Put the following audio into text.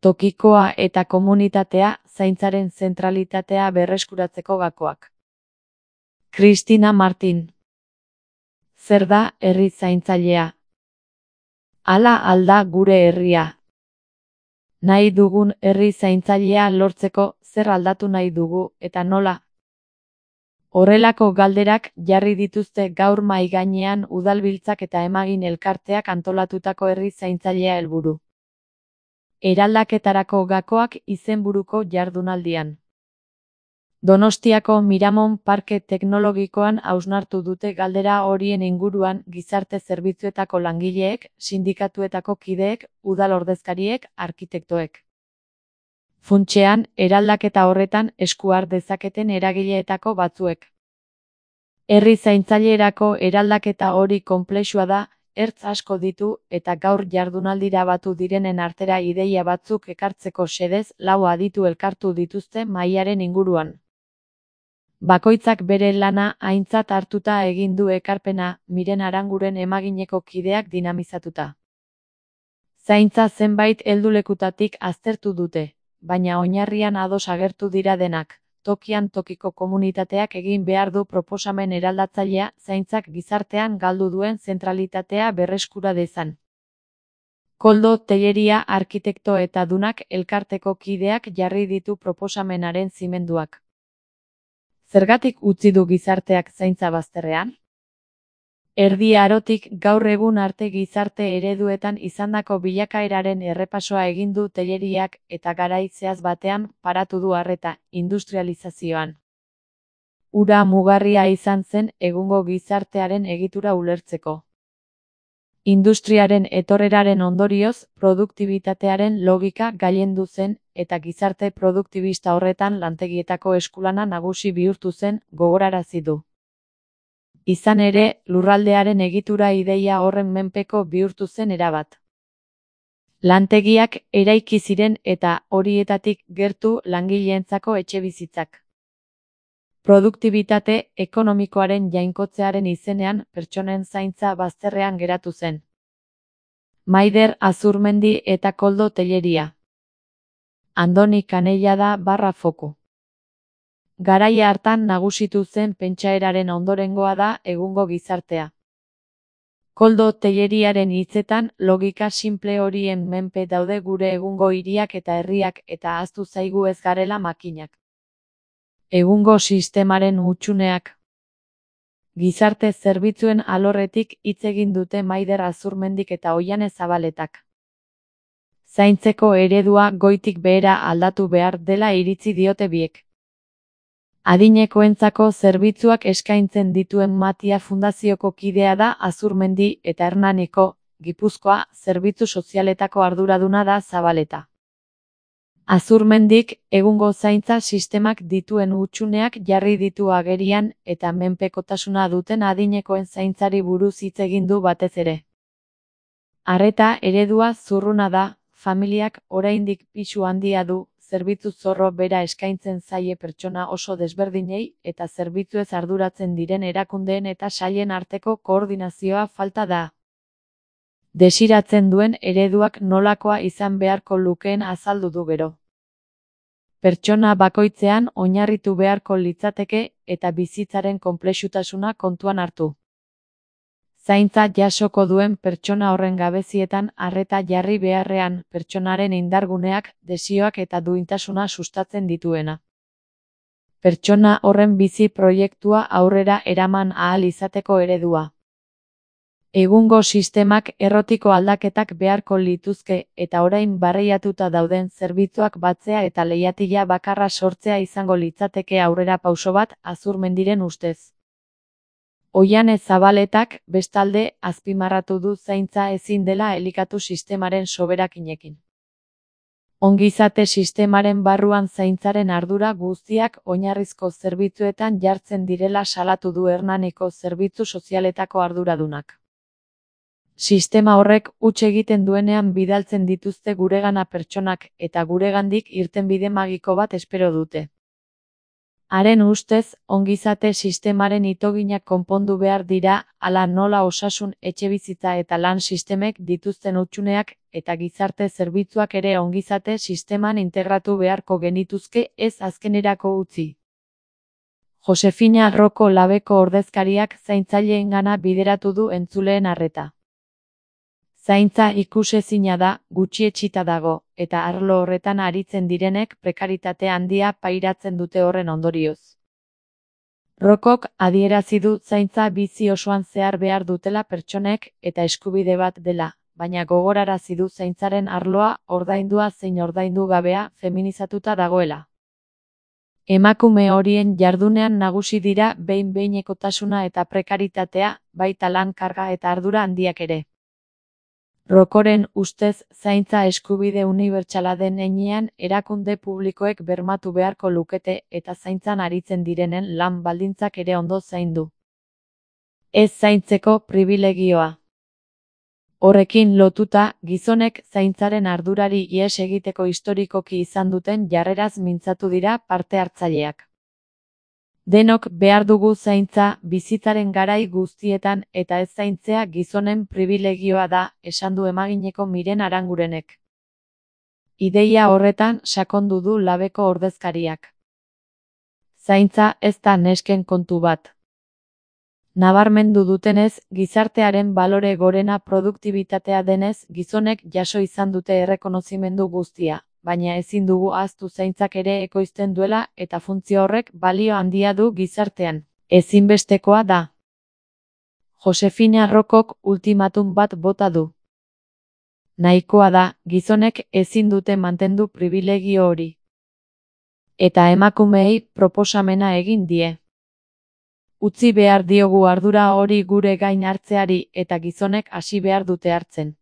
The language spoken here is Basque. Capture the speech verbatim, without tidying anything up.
tokikoa eta komunitatea, zaintzaren zentralitatea berreskuratzeko gakoak. Cristina Martin. Zer da herri zaintzailea? Hala alda gure herria. Nahi dugun herri zaintzailea lortzeko zer aldatu nahi dugu eta nola? Horrelako galderak jarri dituzte gaur mahai gainean udalbiltzak eta emagin elkarteak antolatutako herri zaintzailea helburu. Eraldaketarako gakoak izenburuko jardunaldian. Donostiako Miramon Parke Teknologikoan hausnartu dute galdera horien inguruan gizarte zerbitzuetako langileek, sindikatuetako kideek, udal ordezkariek, arkitektoek. Funtsean, eraldaketa horretan esku har dezaketen eragileetako batzuek. Herri zaintzailerako eraldaketa hori konplexua da, ertz asko ditu eta gaur jardunaldira batu direnen artera ideia batzuk ekartzeko xedez lau aditu elkartu dituzte mahaiaren inguruan. Bakoitzak bere lana aintzat hartuta egin du ekarpena, Miren Aranguren emagineko kideak dinamizatuta. Zaintza zenbait heldulekutatik aztertu dute, baina oinarrian ados agertu dira denak. Tokian tokiko komunitateak egin behar du proposamen eraldatzailea zaintzak gizartean galdu duen zentralitatea berreskura dezan. Koldo Telleria arkitekto eta dunak elkarteko kideak jarri ditu proposamenaren zimenduak. Zergatik utzi du gizarteak zaintza bazterrean? Erdi Arotik gaur egun arte gizarte ereduetan izandako bilakaeraren errepasoa egin du Telleriak eta garai zehaz batean paratu du arreta, industrializazioan. Hura mugarria izan zen egungo gizartearen egitura ulertzeko. Industriaren etorreraren ondorioz, produktibitatearen logika gailendu zen eta gizarte produktibista horretan lantegietako eskulana nagusi bihurtu zen, gogorarazi du. Izan ere, lurraldearen egitura ideia horren menpeko bihurtu zen erabat. Lantegiak eraiki ziren eta horietatik gertu langileentzako etxebizitzak. Produktibitate ekonomikoaren jainkotzearen izenean pertsonen zaintza bazterrean geratu zen. Maider Azurmendi eta Koldo Telleria. Andoni Canellada barra foku. Garaia hartan nagusitu zen pentsaeraren ondorengoa da egungo gizartea. Koldo Telleriaren hitzetan logika simple horien menpe daude gure egungo hiriak eta herriak eta ahaztu zaigu ez garela makinak. Egungo sistemaren hutsuneak. Gizarte zerbitzuen alorretik hitz egin dute Maider Azurmendik eta Oihane Zabaletak. Zaintzeko eredua goitik behera aldatu behar dela iritzi diote biek. Adinekoentzako zerbitzuak eskaintzen dituen Matia Fundazioko kidea da Azurmendi eta Hernaniko, Gipuzkoa, zerbitzu sozialetako arduraduna da Zabaleta. Azurmendik, egungo zaintza sistemak dituen hutsuneak jarri ditu agerian eta menpekotasuna duten adinekoen zaintzari buruz hitz egin du batez ere. Arreta eredua zurruna da, familiak oraindik pisu handia du, zerbitzu zorro bera eskaintzen zaie pertsona oso desberdinei eta zerbitzuez arduratzen diren erakundeen eta sailen arteko koordinazioa falta da. Desiratzen duen ereduak nolakoa izan beharko lukeen azaldu du gero. Pertsona bakoitzean oinarritu beharko litzateke eta bizitzaren konplexutasuna kontuan hartu. Zaintza jasoko duen pertsona horren gabezietan arreta jarri beharrean pertsonaren indarguneak, desioak eta duintasuna sustatzen dituena. Pertsona horren bizi proiektua aurrera eraman ahal izateko eredua. Egungo sistemak errotiko aldaketak beharko lituzke eta orain barreiatuta dauden zerbitzuak batzea eta leihatila bakarra sortzea izango litzateke aurrera pauso bat Azurmendiren ustez. Oihane Zabaletak, bestalde, azpimarratu du zaintza ezin dela elikatu sistemaren soberakinekin. Ongizate sistemaren barruan zaintzaren ardura guztiak oinarrizko zerbitzuetan jartzen direla salatu du Hernaniko zerbitzu sozialetako arduradunak. Sistema horrek huts egiten duenean bidaltzen dituzte guregana pertsonak eta guregandik irtenbide magiko bat espero dute. Haren ustez, ongizate sistemaren itoginak konpondu behar dira, hala nola osasun, etxebizitza eta lan sistemek dituzten hutsuneak eta gizarte zerbitzuak ere ongizate sisteman integratu beharko genituzke ez azkenerako utzi. Josefina Roko Labeko ordezkariak zaintzaileengana bideratu du entzuleen arreta. Zaintza ikusezina da, gutxietsita dago, eta arlo horretan aritzen direnek prekaritate handia pairatzen dute horren ondorioz. Rokok adierazi du zaintza bizi osoan zehar behar dutela pertsonek eta eskubide bat dela, baina gogorarazi du zaintzaren arloa ordaindua zein ordaindu gabea feminizatuta dagoela. Emakume horien jardunean nagusi dira behin-behinekotasuna eta prekaritatea, baita lan karga eta ardura handiak ere. Rokoren ustez zaintza eskubide unibertsala den heinean erakunde publikoek bermatu beharko lukete eta zaintzan aritzen direnen lan baldintzak ere ondo zaindu. Ez zaintzeko pribilegioa. Horrekin lotuta, gizonek zaintzaren ardurari ihes egiteko historikoki izan duten jarreraz mintzatu dira parte hartzaileak. Denok behar dugu zaintza bizitzaren garai guztietan eta ez zaintzea gizonen pribilegioa da, esan du Emagineko Miren Arangurenek. Ideia horretan sakondu du Labeko ordezkariak. Zaintza ez da nesken kontu bat. Nabarmendu dutenez, gizartearen balore gorena produktibitatea denez, gizonek jaso izan dute errekonozimendu guztia, baina ezin dugu ahaztu zaintzak ere ekoizten duela eta funtzio horrek balio handia du gizartean. Ezinbestekoa da. Josefina Rokok ultimatum bat bota du. Nahikoa da, gizonek ezin dute mantendu pribilegio hori. Eta emakumeei proposamena egin die. Utzi behar diogu ardura hori gure gain hartzeari eta gizonek hasi behar dute hartzen.